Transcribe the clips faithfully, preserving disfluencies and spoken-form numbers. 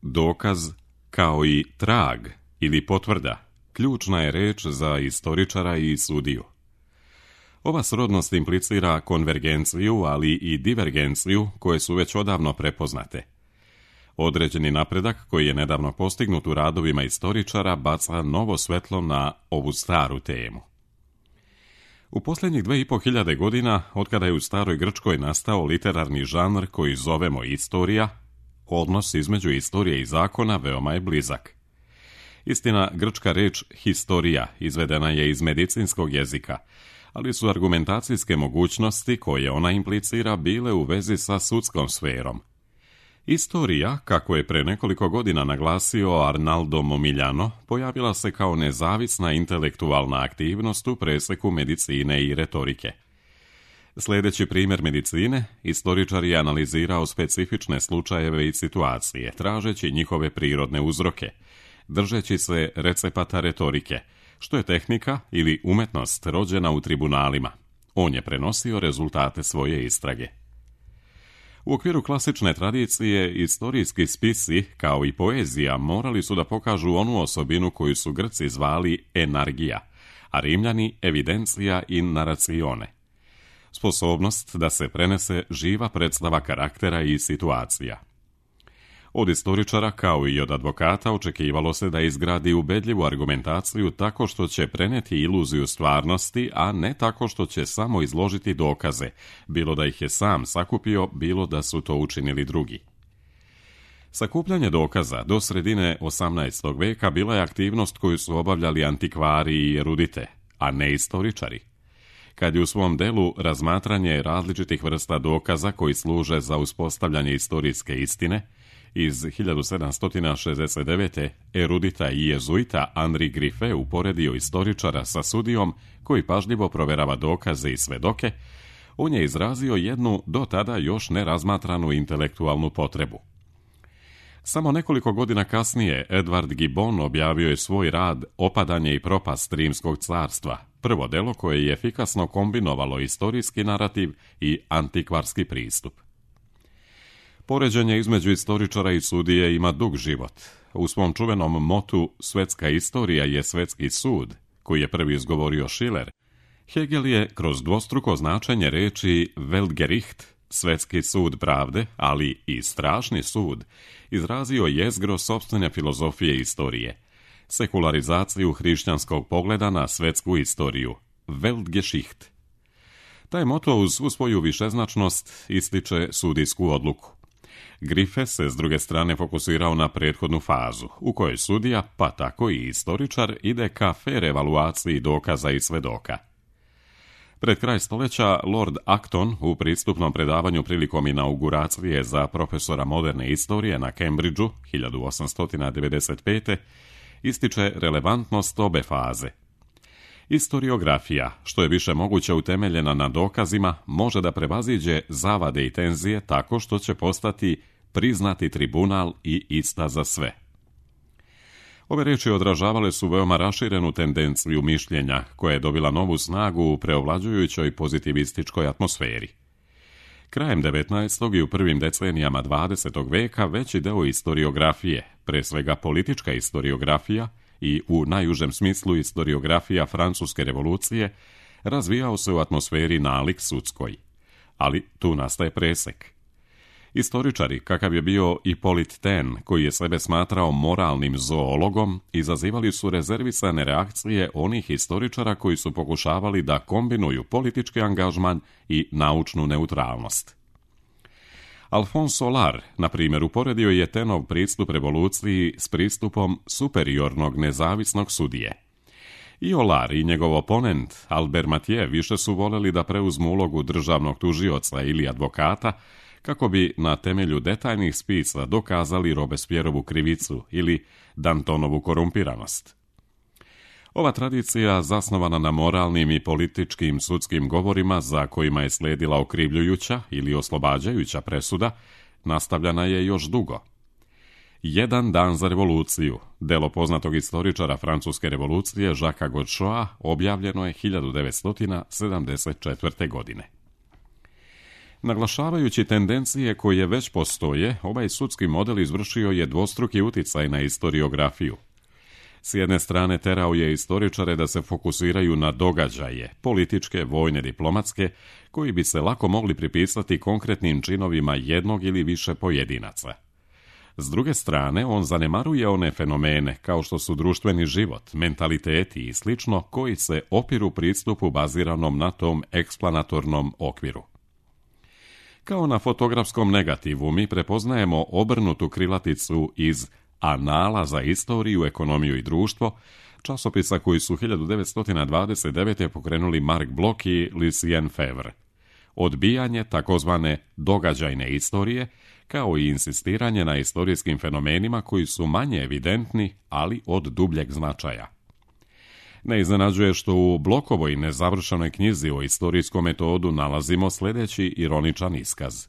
Dokaz, kao i trag ili potvrda, ključna je reč za istoričara i sudiju. Ova srodnost implicira konvergenciju, ali i divergenciju koje su već odavno prepoznate. Određeni napredak koji je nedavno postignut u radovima istoričara baca novo svetlo na ovu staru temu. U posljednjih dve i po hiljade godina, otkada je u staroj Grčkoj nastao literarni žanr koji zovemo istorija, odnos između istorije i zakona veoma je blizak. Istina, grčka reč historija izvedena je iz medicinskog jezika, ali su argumentacijske mogućnosti koje ona implicira bile u vezi sa sudskom sferom. Istorija, kako je pre nekoliko godina naglasio Arnaldo Momiljano, pojavila se kao nezavisna intelektualna aktivnost u preseku medicine i retorike. Sljedeći primjer medicine, istoričar je analizirao specifične slučajeve i situacije, tražeći njihove prirodne uzroke, držeći se recepata retorike, što je tehnika ili umetnost rođena u tribunalima. On je prenosio rezultate svoje istrage. U okviru klasične tradicije, istorijski spisi, kao i poezija, morali su da pokažu onu osobinu koju su Grci zvali enargija, a Rimljani evidencija in narrazione. Sposobnost da se prenese živa predstava karaktera i situacija. Od istoričara, kao i od advokata, očekivalo se da izgradi ubedljivu argumentaciju tako što će preneti iluziju stvarnosti, a ne tako što će samo izložiti dokaze, bilo da ih je sam sakupio, bilo da su to učinili drugi. Sakupljanje dokaza do sredine osamnaestog veka bila je aktivnost koju su obavljali antikvari i erudite, a ne istoričari. Kad je u svom delu razmatranje različitih vrsta dokaza koji služe za uspostavljanje istorijske istine, iz hiljadu sedamsto šezdeset devete. erudita i jezuita Henri Griffet uporedio istoričara sa sudijom koji pažljivo proverava dokaze i svedoke, on je izrazio jednu do tada još nerazmatranu intelektualnu potrebu. Samo nekoliko godina kasnije Edward Gibbon objavio je svoj rad Opadanje i propast Rimskog carstva, prvo delo koje je efikasno kombinovalo istorijski narativ i antikvarski pristup. Poređenje između istoričara i sudije ima dug život. U svom čuvenom motu "Svetska istorija je svetski sud", koji je prvi izgovorio Schiller, Hegel je kroz dvostruko značenje reči Weltgericht, svetski sud pravde, ali i strašni sud, izrazio jezgro sopstvene filozofije istorije, sekularizaciju hrišćanskog pogleda na svetsku istoriju, Weltgeschicht. Taj moto uz svu svoju višeznačnost ističe sudijsku odluku. Griffet se s druge strane fokusirao na prethodnu fazu, u kojoj sudija, pa tako i istoričar, ide ka fair evaluaciji dokaza i svedoka. Pred kraj stoljeća, Lord Acton u pristupnom predavanju prilikom inauguracije za profesora moderne istorije na Cambridgeu hiljadu osamsto devedeset pete. ističe relevantnost obe faze. Istoriografija, što je više moguće utemeljena na dokazima, može da prevaziđe zavade i tenzije tako što će postati priznati tribunal i ista za sve. Ove riječi odražavale su veoma raširenu tendenciju mišljenja, koja je dobila novu snagu u preovlađujućoj pozitivističkoj atmosferi. Krajem devetnaestog i u prvim decenijama dvadesetog veka veći deo istoriografije, pre svega politička istoriografija i u najužem smislu istoriografija Francuske revolucije, razvijao se u atmosferi nalik sudskoj. Ali tu nastaje presek. Istoričari, kakav je bio Hippolyte Taine, koji je sebe smatrao moralnim zoologom, izazivali su rezervisane reakcije onih istoričara koji su pokušavali da kombinuju politički angažman i naučnu neutralnost. Alphonse Solar, na primjer, uporedio je Taineov pristup revoluciji s pristupom superiornog nezavisnog sudije. I Olar i njegov oponent, Albert Mathieu, više su voleli da preuzmu ulogu državnog tužioca ili advokata, kako bi na temelju detaljnih spisa dokazali Robespierrovu krivicu ili Dantonovu korumpiranost. Ova tradicija, zasnovana na moralnim i političkim sudskim govorima za kojima je slijedila okrivljujuća ili oslobađajuća presuda, nastavljana je još dugo. Jedan dan za revoluciju, delo poznatog istoričara Francuske revolucije Jacquesa Godchoa, objavljeno je hiljadu devetsto sedamdeset četvrte. godine. Naglašavajući tendencije koje već postoje, ovaj sudski model izvršio je dvostruki uticaj na historiografiju. S jedne strane terao je istoričare da se fokusiraju na događaje, političke, vojne, diplomatske, koji bi se lako mogli pripisati konkretnim činovima jednog ili više pojedinaca. S druge strane, on zanemaruje one fenomene kao što su društveni život, mentaliteti i slično koji se opiru pristupu baziranom na tom eksplanatornom okviru. Kao na fotografskom negativu mi prepoznajemo obrnutu krilaticu iz Anala za istoriju, ekonomiju i društvo, časopisa koji su hiljadu devetsto dvadeset devete. pokrenuli Mark Bloch i Lucien Febvre. Odbijanje takozvane događajne istorije, kao i insistiranje na istorijskim fenomenima koji su manje evidentni, ali od dubljeg značaja. Ne iznenađuje što u Blochovoj nezavršenoj knjizi o istorijskom metodu nalazimo sljedeći ironičan iskaz.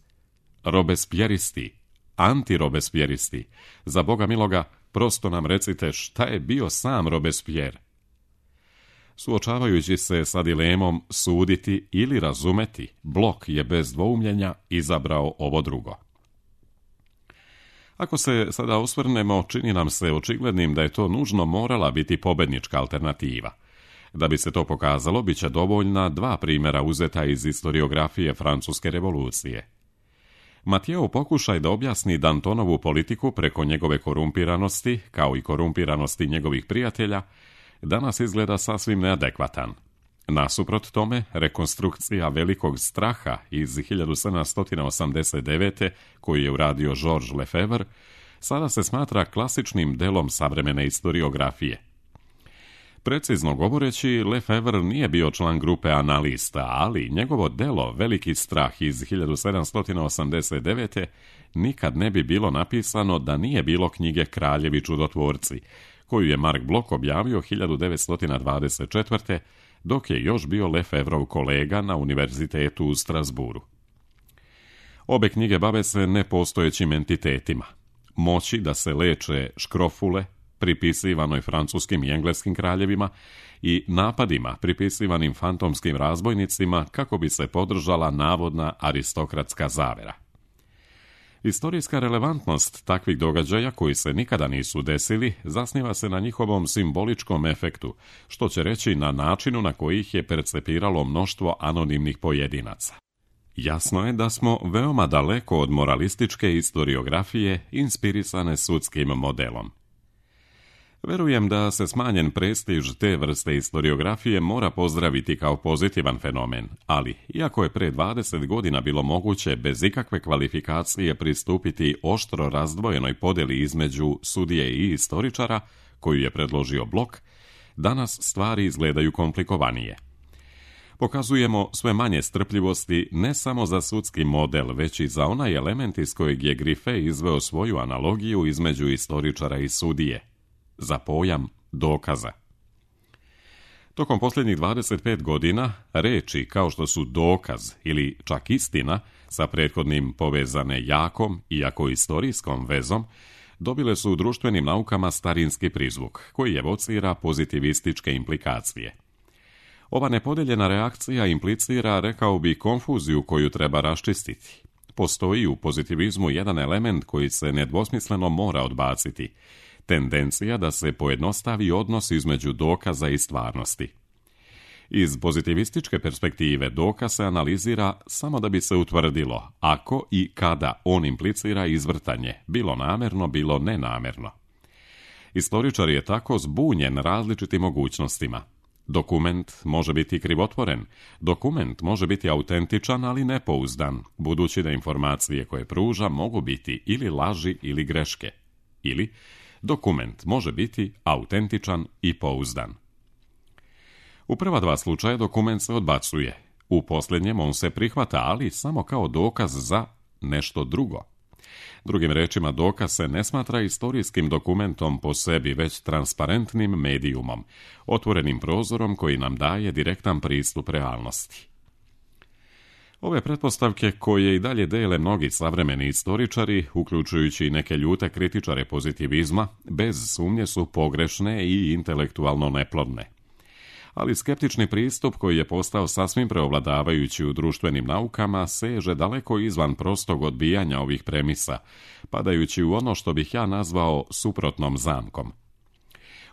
Robespierristi, antirobespierristi, za Boga miloga, prosto nam recite šta je bio sam Robespierre. Suočavajući se sa dilemom suditi ili razumeti, Bloch je bez dvoumljenja izabrao ovo drugo. Ako se sada osvrnemo, čini nam se očiglednim da je to nužno morala biti pobednička alternativa. Da bi se to pokazalo, bit će dovoljna dva primjera uzeta iz historiografije Francuske revolucije. Mathieu pokušaj da objasni Dantonovu politiku preko njegove korumpiranosti, kao i korumpiranosti njegovih prijatelja, danas izgleda sasvim neadekvatan. Nasuprot tome, rekonstrukcija velikog straha iz hiljadu sedamsto osamdeset devete. koju je uradio Georges Lefebvre, sada se smatra klasičnim delom savremene historiografije. Precizno govoreći, Lefebvre nije bio član grupe analista, ali njegovo delo Veliki strah iz hiljadu sedamsto osamdeset devete. nikad ne bi bilo napisano da nije bilo knjige Kraljevi čudotvorci, koju je Mark Bloch objavio hiljadu devetsto dvadeset četvrte. dok je još bio Lefebvrov kolega na univerzitetu u Strasburu. Obe knjige bave se nepostojećim entitetima. Moći da se leče škrofule, pripisivanoj francuskim i engleskim kraljevima, i napadima pripisivanim fantomskim razbojnicima kako bi se podržala navodna aristokratska zavera. Istorijska relevantnost takvih događaja koji se nikada nisu desili zasniva se na njihovom simboličkom efektu, što će reći na načinu na koji ih je percepiralo mnoštvo anonimnih pojedinaca. Jasno je da smo veoma daleko od moralističke historiografije inspirisane sudskim modelom. Verujem da se smanjen prestiž te vrste historiografije mora pozdraviti kao pozitivan fenomen, ali, iako je pre dvadeset godina bilo moguće bez ikakve kvalifikacije pristupiti oštro razdvojenoj podeli između sudije i istoričara, koju je predložio Bloch, danas stvari izgledaju komplikovanije. Pokazujemo sve manje strpljivosti ne samo za sudski model, već i za onaj element iz kojeg je Griffet izveo svoju analogiju između istoričara i sudije, za pojam dokaza. Tokom posljednjih dvadeset pet godina, reči kao što su dokaz ili čak istina, sa prethodnim povezane jakom, iako istorijskom vezom, dobile su u društvenim naukama starinski prizvuk, koji evocira pozitivističke implikacije. Ova nepodeljena reakcija implicira, rekao bi, konfuziju koju treba raščistiti. Postoji u pozitivizmu jedan element koji se nedvosmisleno mora odbaciti, tendencija da se pojednostavi odnos između dokaza i stvarnosti. Iz pozitivističke perspektive dokaz se analizira samo da bi se utvrdilo ako i kada on implicira izvrtanje, bilo namerno, bilo nenamerno. Istoričar je tako zbunjen različitim mogućnostima. Dokument može biti krivotvoren, dokument može biti autentičan, ali nepouzdan, budući da informacije koje pruža mogu biti ili laži ili greške. Ili dokument može biti autentičan i pouzdan. U prva dva slučaja dokument se odbacuje. U posljednjem on se prihvata, ali samo kao dokaz za nešto drugo. Drugim rečima, dokaz se ne smatra istorijskim dokumentom po sebi, već transparentnim medijumom, otvorenim prozorom koji nam daje direktan pristup realnosti. Ove pretpostavke, koje i dalje dele mnogi savremeni istoričari, uključujući i neke ljute kritičare pozitivizma, bez sumnje su pogrešne i intelektualno neplodne. Ali skeptični pristup koji je postao sasvim preovladavajući u društvenim naukama seže daleko izvan prostog odbijanja ovih premisa, padajući u ono što bih ja nazvao suprotnom zamkom.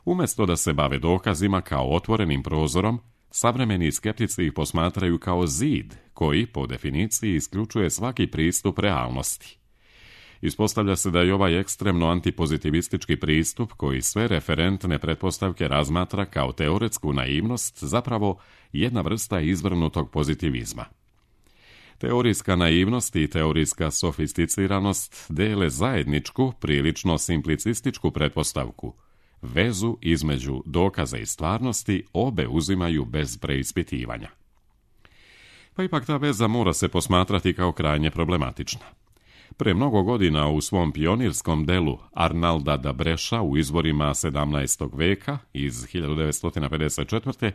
Umjesto da se bave dokazima kao otvorenim prozorom, savremeni skeptici ih posmatraju kao zid koji, po definiciji, isključuje svaki pristup realnosti. Ispostavlja se da je ovaj ekstremno antipozitivistički pristup, koji sve referentne pretpostavke razmatra kao teoretsku naivnost, zapravo jedna vrsta izvrnutog pozitivizma. Teorijska naivnost i teorijska sofisticiranost dele zajedničku, prilično simplicističku pretpostavku. Vezu između dokaza i stvarnosti obe uzimaju bez preispitivanja. Pa ipak ta veza mora se posmatrati kao krajnje problematična. Pre mnogo godina u svom pionirskom delu Arnalda da Breša u izvorima sedamnaestog veka iz hiljadu devetsto pedeset četvrte.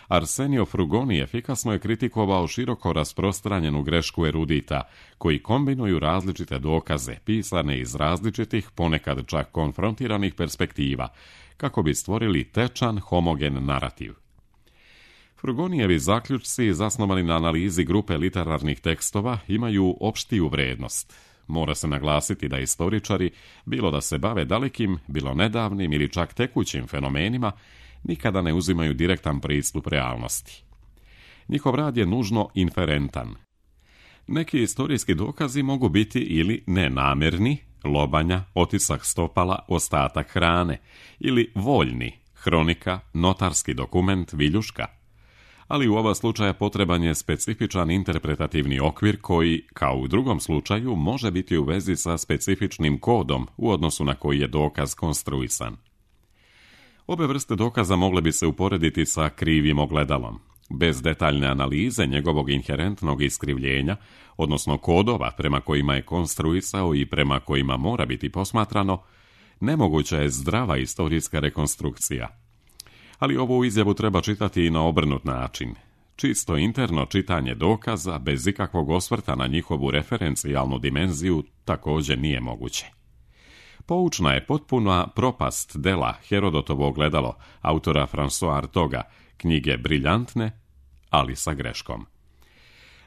Arsenio Frugoni efikasno je kritikovao široko rasprostranjenu grešku erudita, koji kombinuju različite dokaze, pisane iz različitih, ponekad čak konfrontiranih perspektiva, kako bi stvorili tečan, homogen narativ. Frugonijevi zaključci, zasnovani na analizi grupe literarnih tekstova, imaju opštiju vrednost. Mora se naglasiti da istoričari, bilo da se bave dalekim, bilo nedavnim ili čak tekućim fenomenima, nikada ne uzimaju direktan pristup realnosti. Njihov rad je nužno inferentan. Neki istorijski dokazi mogu biti ili nenamjerni, lobanja, otisak stopala, ostatak hrane, ili voljni, hronika, notarski dokument, viljuška. Ali u oba slučaja potreban je specifičan interpretativni okvir koji, kao u drugom slučaju, može biti u vezi sa specifičnim kodom u odnosu na koji je dokaz konstruisan. Obe vrste dokaza mogle bi se uporediti sa krivim ogledalom. Bez detaljne analize njegovog inherentnog iskrivljenja, odnosno kodova prema kojima je konstruisao i prema kojima mora biti posmatrano, nemoguća je zdrava istorijska rekonstrukcija. Ali ovu izjavu treba čitati i na obrnut način. Čisto interno čitanje dokaza, bez ikakvog osvrta na njihovu referencijalnu dimenziju, također nije moguće. Poučna je potpuna propast dela Herodotovo ogledalo autora François Artauga, knjige briljantne, ali sa greškom.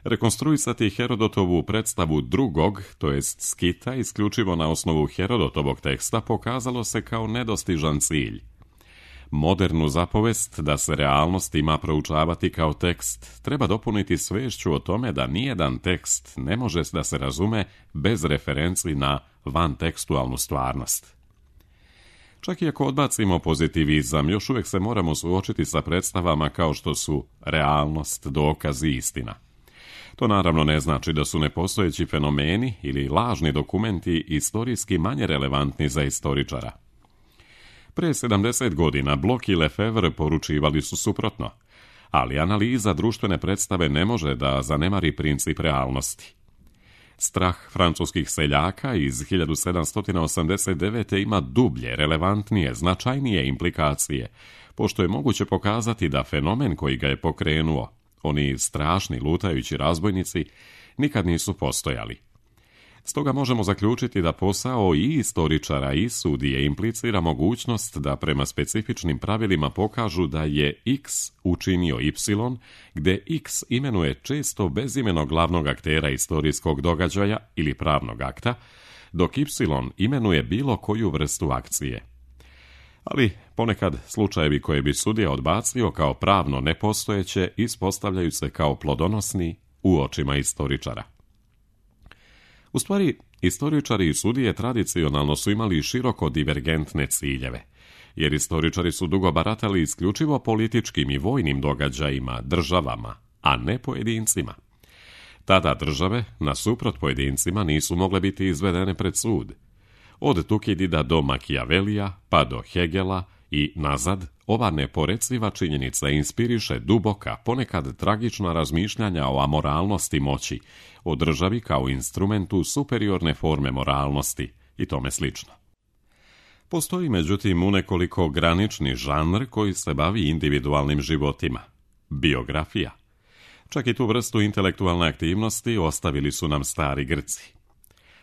Rekonstruisati Herodotovu predstavu drugog, to jest skita, isključivo na osnovu Herodotovog teksta pokazalo se kao nedostižan cilj. Modernu zapovest da se realnost ima proučavati kao tekst treba dopuniti svešću o tome da nijedan tekst ne može da se razume bez referenci na vantekstualnu stvarnost. Čak i ako odbacimo pozitivizam, još uvijek se moramo suočiti sa predstavama kao što su realnost, dokaz i istina. To naravno ne znači da su nepostojeći fenomeni ili lažni dokumenti istorijski manje relevantni za istoričara. Pre sedamdeset godina Bloch i Lefebvre poručivali su suprotno, ali analiza društvene predstave ne može da zanemari princip realnosti. Strah francuskih seljaka iz hiljadu sedamsto osamdeset devete. ima dublje, relevantnije, značajnije implikacije, pošto je moguće pokazati da fenomen koji ga je pokrenuo, oni strašni lutajući razbojnici, nikad nisu postojali. Stoga možemo zaključiti da posao i istoričara i sudije implicira mogućnost da prema specifičnim pravilima pokažu da je X učinio Y, gde X imenuje često bezimeno glavnog aktera istorijskog događaja ili pravnog akta, dok Y imenuje bilo koju vrstu akcije. Ali ponekad slučajevi koje bi sudija odbacio kao pravno nepostojeće ispostavljaju se kao plodonosni u očima istoričara. U stvari, istoričari i sudije tradicionalno su imali široko divergentne ciljeve, jer istoričari su dugo baratali isključivo političkim i vojnim događajima, državama, a ne pojedincima. Tada države, nasuprot pojedincima, nisu mogle biti izvedene pred sud. Od Tukidida do Machiavellija, pa do Hegela i nazad, ova neporeciva činjenica inspiriše duboka, ponekad tragična razmišljanja o amoralnosti moći, o državi kao instrumentu superiorne forme moralnosti i tome slično. Postoji međutim unekoliko granični žanr koji se bavi individualnim životima. Biografija. Čak i tu vrstu intelektualne aktivnosti ostavili su nam stari Grci.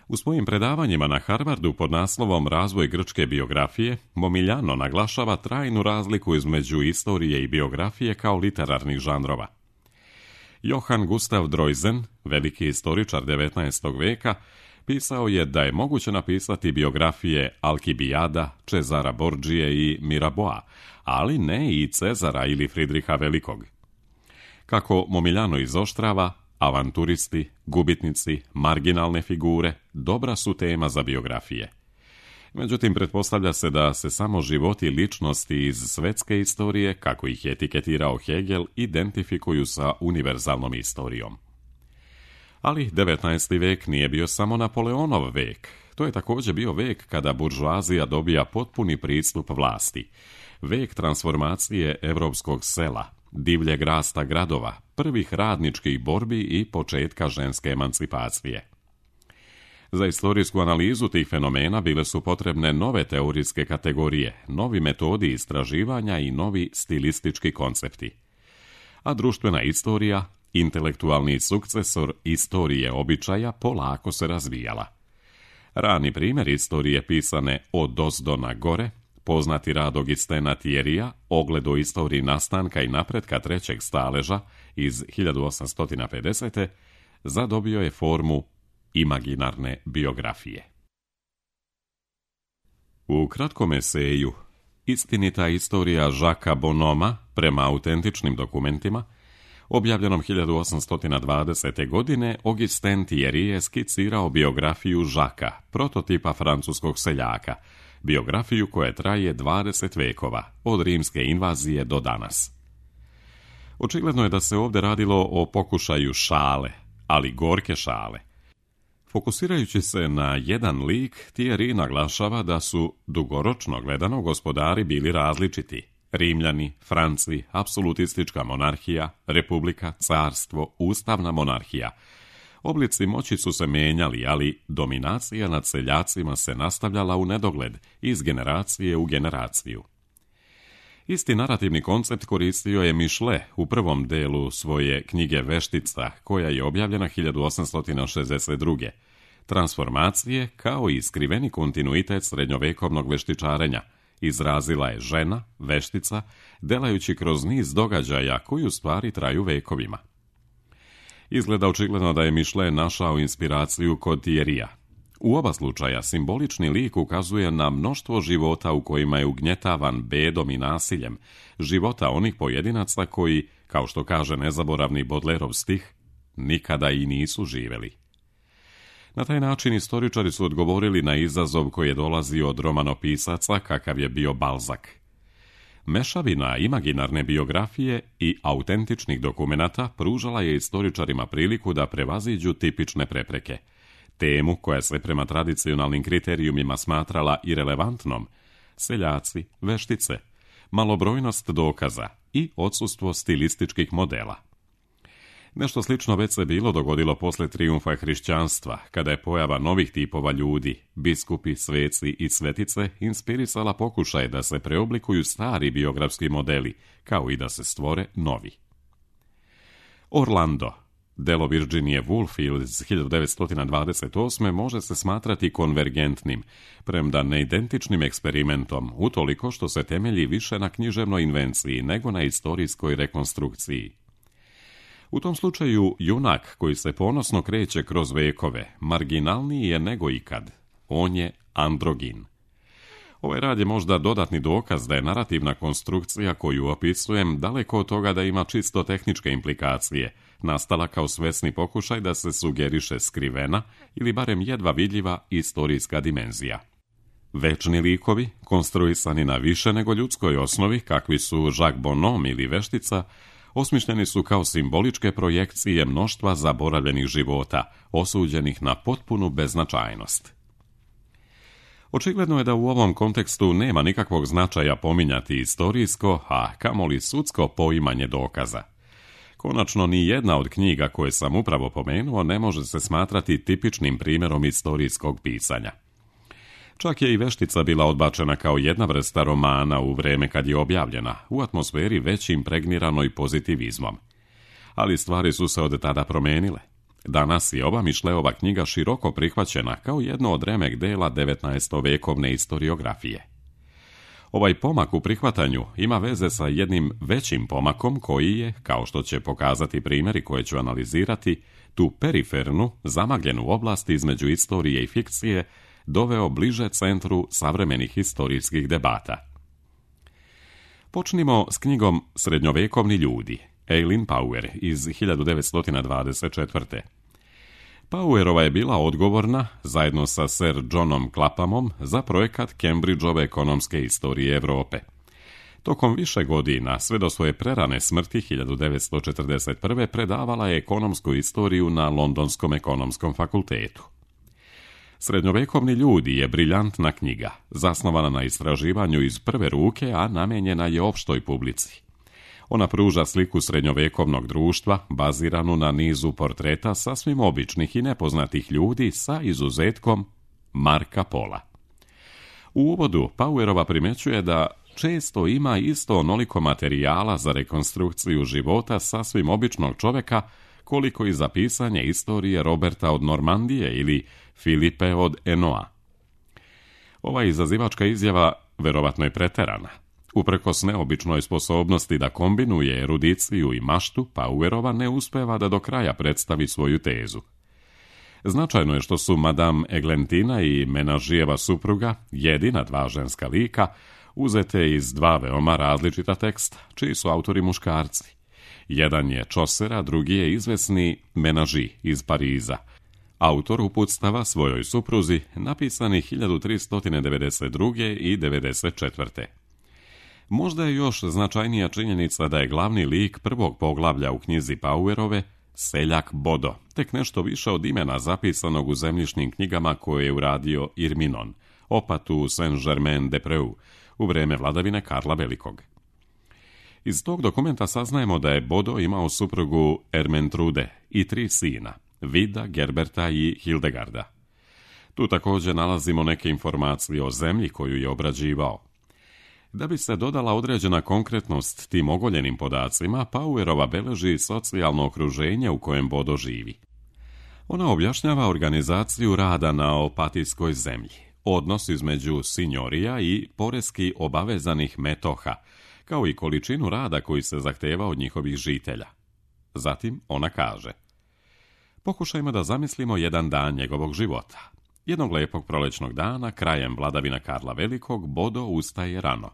U svojim predavanjima na Harvardu pod naslovom Razvoj grčke biografije, Momiljano naglašava trajnu razliku između istorije i biografije kao literarnih žanrova. Johann Gustav Droysen, veliki istoričar devetnaestog veka, pisao je da je moguće napisati biografije Alkibijada, Cezara Borđije i Miraboa, ali ne i Cezara ili Fridriha Velikog. Kako Momiljano izoštrava, avanturisti, gubitnici, marginalne figure dobra su tema za biografije. Međutim, pretpostavlja se da se samo životi i ličnosti iz svetske istorije, kako ih je etiketirao Hegel, identifikuju sa univerzalnom istorijom. Ali devetnaesti vek nije bio samo Napoleonov vek. To je također bio vek kada buržoazija dobija potpuni pristup vlasti. Vek transformacije evropskog sela, divljeg rasta gradova, prvih radničkih borbi i početka ženske emancipacije. Za istorijsku analizu tih fenomena bile su potrebne nove teorijske kategorije, novi metodi istraživanja i novi stilistički koncepti. A društvena istorija, intelektualni sukcesor istorije običaja, polako se razvijala. Rani primjer istorije pisane odozdo na gore, poznati rad Augustena Thierrya, Ogled o istoriji nastanka i napretka trećeg staleža iz hiljadu osamsto pedesete. zadobio je formu imaginarne biografije. U kratkom eseju Istinita istorija Jacquesa Bonhomea prema autentičnim dokumentima, objavljenom hiljadu osamsto dvadesete. godine, Augustin Thierry je skicirao biografiju Jacquesa, prototipa francuskog seljaka, biografiju koja traje dvadeset vekova, od rimske invazije do danas. Očigledno je da se ovdje radilo o pokušaju šale, ali gorke šale. Fokusirajući se na jedan lik, Thierry naglašava da su, dugoročno gledano, gospodari bili različiti. Rimljani, Franci, apsolutistička monarhija, republika, carstvo, ustavna monarhija. Oblici moći su se menjali, ali dominacija nad seljacima se nastavljala u nedogled, iz generacije u generaciju. Isti narativni koncept koristio je Michelet u prvom delu svoje knjige Veštica, koja je objavljena hiljadu osamsto šezdeset druge. Transformacije, kao i skriveni kontinuitet srednjovekovnog veštičarenja, izrazila je žena, veštica, delajući kroz niz događaja koji u stvari traju vekovima. Izgleda očigledno da je Michelet našao inspiraciju kod Thierrya. U oba slučaja simbolični lik ukazuje na mnoštvo života u kojima je ugnjetavan bedom i nasiljem, života onih pojedinaca koji, kao što kaže nezaboravni Baudelaireov stih, nikada i nisu živjeli. Na taj način istoričari su odgovorili na izazov koji je dolazio od romanopisaca kakav je bio Balzac. Mešavina imaginarne biografije i autentičnih dokumenata pružala je istoričarima priliku da prevaziđu tipične prepreke. Temu koja se prema tradicionalnim kriterijumima smatrala irelevantnom, seljaci, veštice, malobrojnost dokaza i odsustvo stilističkih modela. Nešto slično već se bilo dogodilo posle trijumfa hrišćanstva, kada je pojava novih tipova ljudi, biskupi, sveci i svetice, inspirisala pokušaje da se preoblikuju stari biografski modeli, kao i da se stvore novi. Orlando, delo Virginie Woolf iz hiljadu devetsto dvadeset osme. može se smatrati konvergentnim, premda neidentičnim eksperimentom, utoliko što se temelji više na književnoj invenciji nego na istorijskoj rekonstrukciji. U tom slučaju, junak koji se ponosno kreće kroz vekove, marginalniji je nego ikad. On je androgin. Ovaj rad je možda dodatni dokaz da je narativna konstrukcija koju opisujem daleko od toga da ima čisto tehničke implikacije, nastala kao svesni pokušaj da se sugeriše skrivena ili barem jedva vidljiva istorijska dimenzija. Večni likovi, konstruisani na više nego ljudskoj osnovi, kakvi su Jacques Bonhomme ili Veštica, osmišljeni su kao simboličke projekcije mnoštva zaboravljenih života, osuđenih na potpunu beznačajnost. Očigledno je da u ovom kontekstu nema nikakvog značaja pominjati istorijsko, a kamoli sudsko poimanje dokaza. Konačno, ni jedna od knjiga koje sam upravo pomenuo ne može se smatrati tipičnim primjerom istorijskog pisanja. Čak je i Veštica bila odbačena kao jedna vrsta romana u vreme kad je objavljena, u atmosferi već impregniranoj pozitivizmom. Ali stvari su se od tada promenile. Danas je ova Mišleova knjiga široko prihvaćena kao jedno od remek dela devetnaestovekovne istoriografije. Ovaj pomak u prihvatanju ima veze sa jednim većim pomakom koji je, kao što će pokazati primjeri koje ću analizirati, tu perifernu, zamagljenu oblast između istorije i fikcije doveo bliže centru savremenih historijskih debata. Počnimo s knjigom Srednjovekovni ljudi, Eileen Pauer iz hiljadu devetsto dvadeset četvrte. Pauerova je bila odgovorna, zajedno sa Sir Johnom Claphamom, za projekat Cambridgeove ekonomske istorije Europe. Tokom više godina, sve do svoje prerane smrti hiljadu devetsto četrdeset prve predavala je ekonomsku istoriju na Londonskom ekonomskom fakultetu. Srednjovekovni ljudi je briljantna knjiga, zasnovana na istraživanju iz prve ruke, a namijenjena je opštoj publici. Ona pruža sliku srednjovekovnog društva, baziranu na nizu portreta sasvim običnih i nepoznatih ljudi sa izuzetkom Marka Pola. U uvodu Pauerova primjećuje da često ima isto onoliko materijala za rekonstrukciju života sasvim običnog čoveka koliko i za pisanje istorije Roberta od Normandije ili Filipe od Enoa. Ova izazivačka izjava verovatno je preterana. Uprkos neobičnoj sposobnosti da kombinuje erudiciju i maštu, Pauerova ne uspeva da do kraja predstavi svoju tezu. Značajno je što su Madame Eglentina i Menagijeva supruga, jedina dva ženska lika, uzete iz dva veoma različita teksta, čiji su autori muškarci. Jedan je Chaucera, drugi je izvesni Menagij iz Pariza, autor uputstava svojoj supruzi, napisani hiljadu tristo devedeset druge i devedeset četvrte. Možda je još značajnija činjenica da je glavni lik prvog poglavlja u knjizi Pauerove seljak Bodo, tek nešto više od imena zapisanog u zemljišnim knjigama koje je uradio Irminon, opat u Saint-Germain-des-Prés, u vrijeme vladavine Karla Velikog. Iz tog dokumenta saznajemo da je Bodo imao suprugu Ermentrude i tri sina, Vida, Gerberta i Hildegarda. Tu također nalazimo neke informacije o zemlji koju je obrađivao. Da bi se dodala određena konkretnost tim ogoljenim podacima, Pauerova beleži socijalno okruženje u kojem Bodo živi. Ona objašnjava organizaciju rada na opatijskoj zemlji, odnos između sinjorija i poreski obavezanih metoha, kao i količinu rada koji se zahteva od njihovih žitelja. Zatim ona kaže: pokušajmo da zamislimo jedan dan njegovog života. Jednog lepog prolećnog dana, krajem vladavina Karla Velikog, Bodo ustaje rano.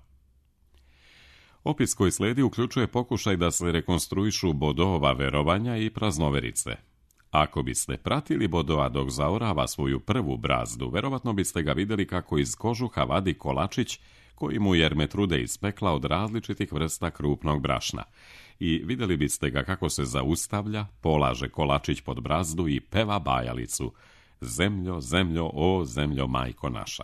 Opis koji slijedi uključuje pokušaj da se rekonstruišu Bodova verovanja i praznoverice. Ako biste pratili Bodoa dok zaorava svoju prvu brazdu, verovatno biste ga vidjeli kako iz kožuha vadi kolačić koji mu je Ermentrude ispekla od različitih vrsta krupnog brašna. I vidjeli biste ga kako se zaustavlja, polaže kolačić pod brazdu i peva bajalicu: zemljo, zemljo, o zemljo majko naša.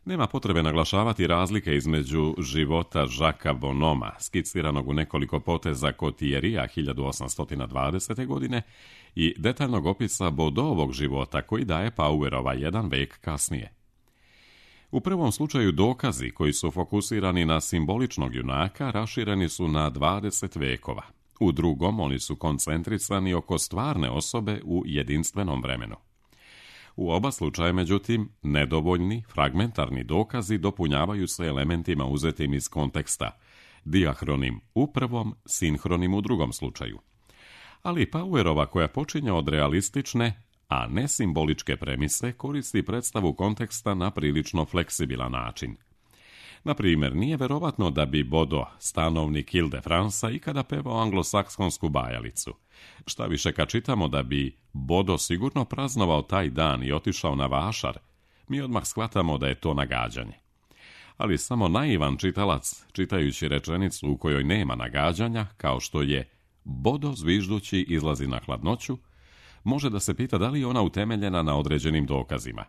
Nema potrebe naglašavati razlike između života Žaka Bonoma, skiciranog u nekoliko poteza kod Thierrya hiljadu osamsto dvadesete godine, i detaljnog opisa Bodovog života koji daje Pauerova jedan vek kasnije. U prvom slučaju dokazi koji su fokusirani na simboličnog junaka rašireni su na dvadeset vekova. U drugom oni su koncentrisani oko stvarne osobe u jedinstvenom vremenu. U oba slučaja, međutim, nedovoljni, fragmentarni dokazi dopunjavaju se elementima uzetim iz konteksta, diahronim u prvom, sinhronim u drugom slučaju. Ali Pauerova, koja počinje od realistične, a ne simboličke premise, koristi predstavu konteksta na prilično fleksibilan način. Na primjer, nije verovatno da bi Bodo, stanovnik Ile-de-Fransa, ikada pevao anglosaksonsku bajalicu. Šta više, kad čitamo da bi Bodo sigurno praznovao taj dan i otišao na vašar, mi odmah shvatamo da je to nagađanje. Ali samo naivan čitalac, čitajući rečenicu u kojoj nema nagađanja, kao što je Bodo zviždući izlazi na hladnoću, može da se pita da li je ona utemeljena na određenim dokazima.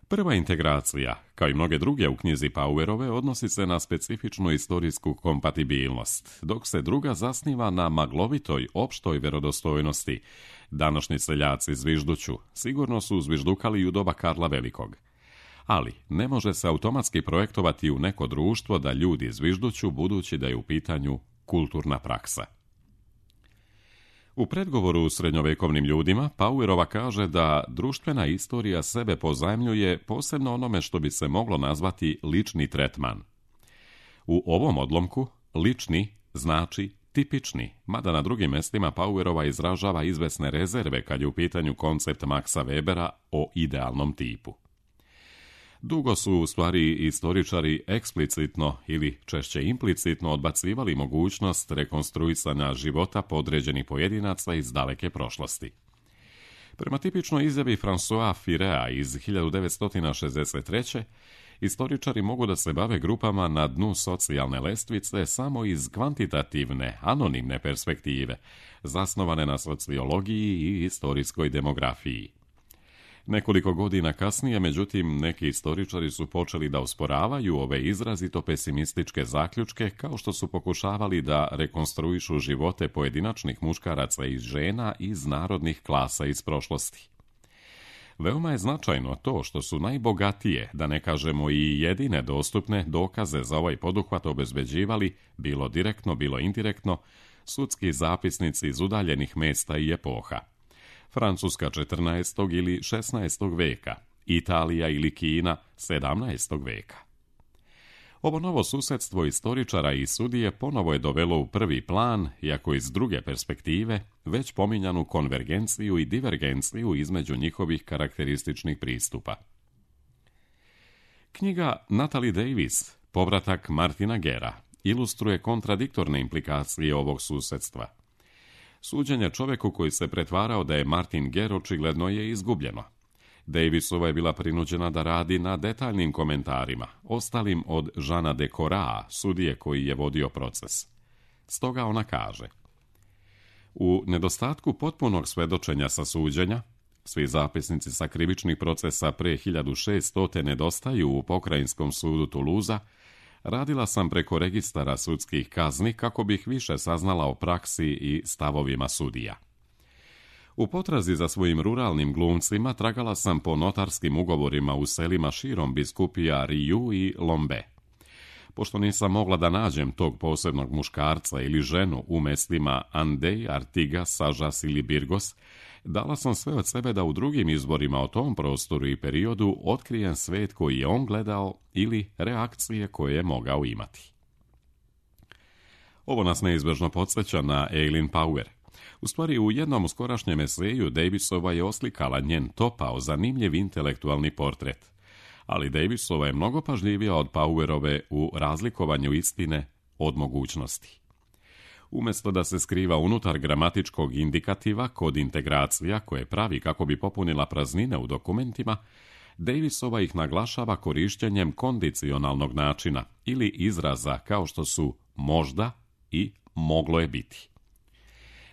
Prva integracija, kao i mnoge druge u knjizi Pauerove, odnosi se na specifičnu istorijsku kompatibilnost, dok se druga zasniva na maglovitoj opštoj verodostojnosti. Današnji seljaci zvižduću sigurno su zviždukali i u doba Karla Velikog. Ali ne može se automatski projektovati u neko društvo da ljudi zvižduću, budući da je u pitanju kulturna praksa. U predgovoru srednjovekovnim ljudima, Pauerova kaže da društvena istorija sebe pozajmljuje posebno onome što bi se moglo nazvati lični tretman. U ovom odlomku lični znači tipični, mada na drugim mjestima Pauerova izražava izvesne rezerve kad je u pitanju koncept Maxa Webera o idealnom tipu. Dugo su u stvari istoričari eksplicitno ili češće implicitno odbacivali mogućnost rekonstruisanja života podređenih pojedinaca iz daleke prošlosti. Prema tipičnoj izjavi François Firea iz hiljadu devetsto šezdeset treće istoričari mogu da se bave grupama na dnu socijalne lestvice samo iz kvantitativne, anonimne perspektive, zasnovane na sociologiji i istorijskoj demografiji. Nekoliko godina kasnije, međutim, neki istoričari su počeli da osporavaju ove izrazito pesimističke zaključke, kao što su pokušavali da rekonstruišu živote pojedinačnih muškaraca i žena iz narodnih klasa iz prošlosti. Veoma je značajno to što su najbogatije, da ne kažemo i jedine dostupne dokaze za ovaj poduhvat obezbeđivali, bilo direktno, bilo indirektno, sudski zapisnici iz udaljenih mesta i epoha. Francuska četrnaestog ili šesnaestog veka, Italija ili Kina sedamnaestog veka. Ovo novo susedstvo istoričara i sudije ponovo je dovelo u prvi plan, iako iz druge perspektive, već pominjanu konvergenciju i divergenciju između njihovih karakterističnih pristupa. Knjiga Natalie Davis, Povratak Martina Gera, ilustruje kontradiktorne implikacije ovog susedstva. Suđenje čoveku koji se pretvarao da je Martin Ger očigledno je izgubljeno. Davisova je bila prinuđena da radi na detaljnim komentarima, ostalim od Žana de Coraa, sudije koji je vodio proces. Stoga ona kaže: u nedostatku potpunog svedočenja sa suđenja, svi zapisnici sa krivičnih procesa pre hiljadu šeststo. nedostaju u pokrajinskom sudu Tuluza, radila sam preko registara sudskih kazni kako bih više saznala o praksi i stavovima sudija. U potrazi za svojim ruralnim glumcima tragala sam po notarskim ugovorima u selima širom biskupija Riu i Lombe. Pošto nisam mogla da nađem tog posebnog muškarca ili ženu u mestima Andej, Artigas, Sažas ili Birgos, dala sam sve od sebe da u drugim izborima o tom prostoru i periodu otkrijem svet koji je on gledao ili reakcije koje je mogao imati. Ovo nas neizbežno podsjeća na Eileen Pauer. U stvari, u jednom uskorašnjem eseju Davisova je oslikala njen topao, zanimljiv intelektualni portret. Ali Davisova je mnogo pažljivija od Pauerove u razlikovanju istine od mogućnosti. Umjesto da se skriva unutar gramatičkog indikativa kod integracija koje pravi kako bi popunila praznine u dokumentima, Davisova ih naglašava korištenjem kondicionalnog načina ili izraza kao što su možda i moglo je biti.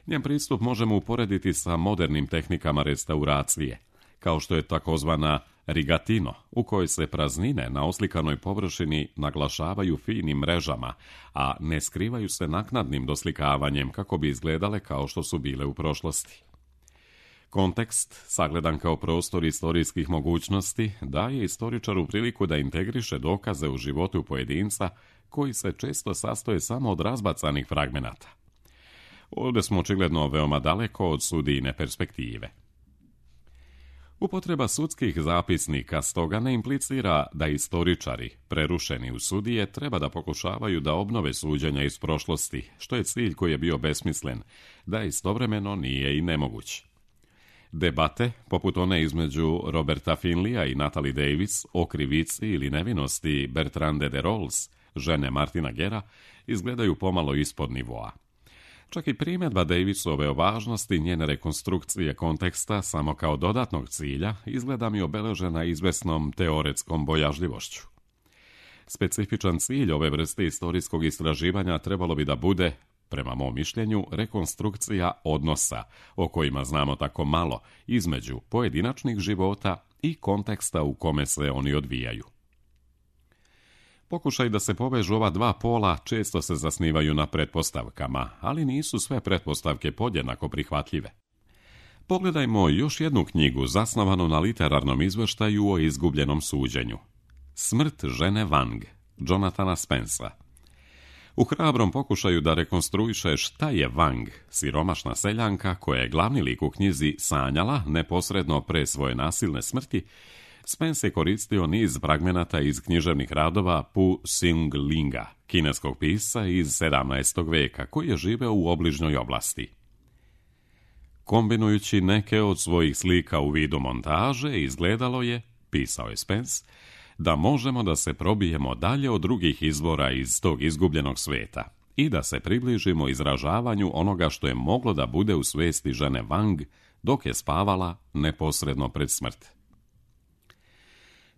Njen pristup možemo uporediti sa modernim tehnikama restauracije, kao što je takozvana rigatino, u kojoj se praznine na oslikanoj površini naglašavaju finim mrežama, a ne skrivaju se naknadnim doslikavanjem kako bi izgledale kao što su bile u prošlosti. Kontekst, sagledan kao prostor istorijskih mogućnosti, daje istoričaru priliku da integriše dokaze u životu pojedinca koji se često sastoje samo od razbacanih fragmenata. Ovdje smo očigledno veoma daleko od sudijine perspektive. Upotreba sudskih zapisnika stoga ne implicira da istoričari, prerušeni u sudije, treba da pokušavaju da obnove suđenja iz prošlosti, što je cilj koji je bio besmislen, da istovremeno nije i nemoguć. Debate, poput one između Roberta Finleya i Natalie Davis o krivici ili nevinosti Bertrande de Rolls, žene Martina Gera, izgledaju pomalo ispod nivoa. Čak i primjedba Davisove o važnosti njene rekonstrukcije konteksta samo kao dodatnog cilja izgleda mi obeležena izvesnom teoretskom bojažljivošću. Specifičan cilj ove vrste istorijskog istraživanja trebalo bi da bude, prema mom mišljenju, rekonstrukcija odnosa, o kojima znamo tako malo, između pojedinačnih života i konteksta u kome se oni odvijaju. Pokušaj da se povežu ova dva pola često se zasnivaju na pretpostavkama, ali nisu sve pretpostavke podjednako prihvatljive. Pogledajmo još jednu knjigu zasnovanu na literarnom izveštaju o izgubljenom suđenju. Smrt žene Wang, Jonathana Spensa. U hrabrom pokušaju da rekonstruiše šta je Wang, siromašna seljanka koja je glavni lik u knjizi sanjala neposredno pre svoje nasilne smrti, Spence je koristio niz fragmenata iz književnih radova Pu Sing Linga, kineskog pisca iz sedamnaestog veka, koji je živeo u obližnjoj oblasti. Kombinujući neke od svojih slika u vidu montaže, izgledalo je, pisao je Spence, da možemo da se probijemo dalje od drugih izvora iz tog izgubljenog sveta i da se približimo izražavanju onoga što je moglo da bude u svesti žene Wang dok je spavala neposredno pred smrt.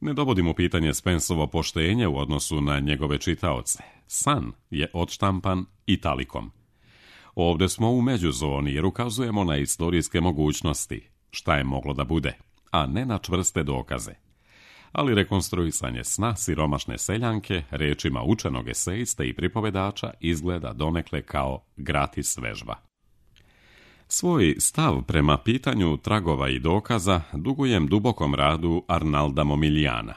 Ne dovodim u pitanje Spenceovo poštenje u odnosu na njegove čitaoce. San je odštampan italikom. Ovdje smo u međuzoni jer ukazujemo na istorijske mogućnosti, šta je moglo da bude, a ne na čvrste dokaze. Ali rekonstruisanje sna siromašne seljanke rečima učenog esejista i pripovedača izgleda donekle kao gratis vežba. Svoj stav prema pitanju tragova i dokaza dugujem dubokom radu Arnalda Momiljana.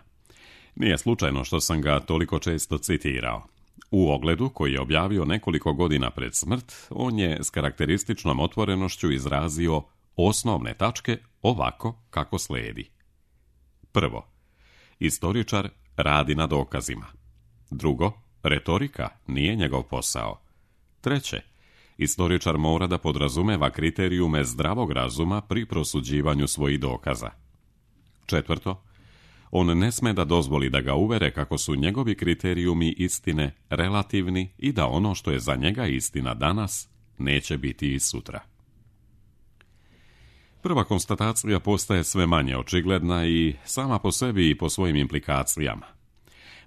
Nije slučajno što sam ga toliko često citirao. U ogledu koji je objavio nekoliko godina pred smrt, on je s karakterističnom otvorenošću izrazio osnovne tačke ovako kako slijedi. Prvo, istoričar radi na dokazima. Drugo, retorika nije njegov posao. Treće, istoričar mora da podrazumeva kriterijume zdravog razuma pri prosuđivanju svojih dokaza. Četvrto, on ne sme da dozvoli da ga uvere kako su njegovi kriterijumi istine relativni i da ono što je za njega istina danas neće biti i sutra. Prva konstatacija postaje sve manje očigledna i sama po sebi i po svojim implikacijama.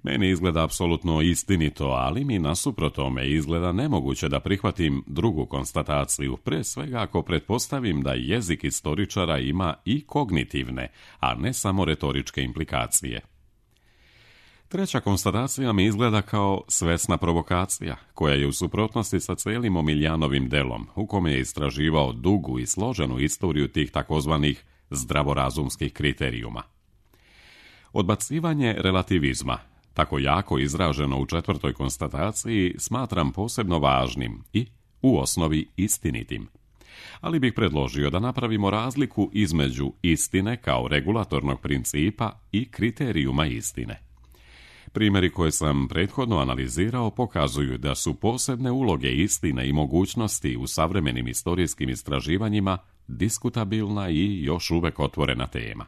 Meni izgleda apsolutno istinito, ali mi nasuprot tome izgleda nemoguće da prihvatim drugu konstataciju, pre svega ako pretpostavim da jezik istoričara ima i kognitivne, a ne samo retoričke implikacije. Treća konstatacija mi izgleda kao svesna provokacija, koja je u suprotnosti sa cijelim Omiljanovim delom, u kome je istraživao dugu i složenu istoriju tih takozvanih zdravorazumskih kriterijuma. Odbacivanje relativizma, tako jako izraženo u četvrtoj konstataciji, smatram posebno važnim i, u osnovi, istinitim. Ali bih predložio da napravimo razliku između istine kao regulatornog principa i kriterijuma istine. Primjeri koje sam prethodno analizirao pokazuju da su posebne uloge istine i mogućnosti u savremenim istorijskim istraživanjima diskutabilna i još uvek otvorena tema.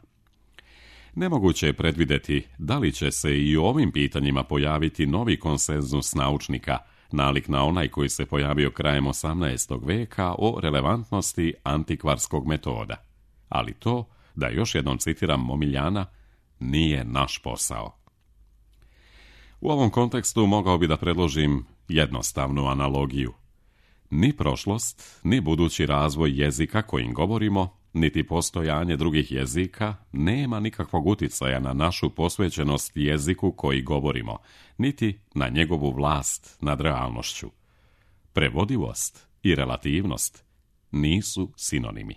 Nemoguće je predvideti da li će se i u ovim pitanjima pojaviti novi konsenzus naučnika, nalik na onaj koji se pojavio krajem osamnaestog veka o relevantnosti antikvarskog metoda. Ali to, da još jednom citiram Momiljana, nije naš posao. U ovom kontekstu mogao bi da predložim jednostavnu analogiju. Ni prošlost, ni budući razvoj jezika kojim govorimo, niti postojanje drugih jezika nema nikakvog uticaja na našu posvećenost jeziku koji govorimo, niti na njegovu vlast nad realnošću. Prevodivost i relativnost nisu sinonimi.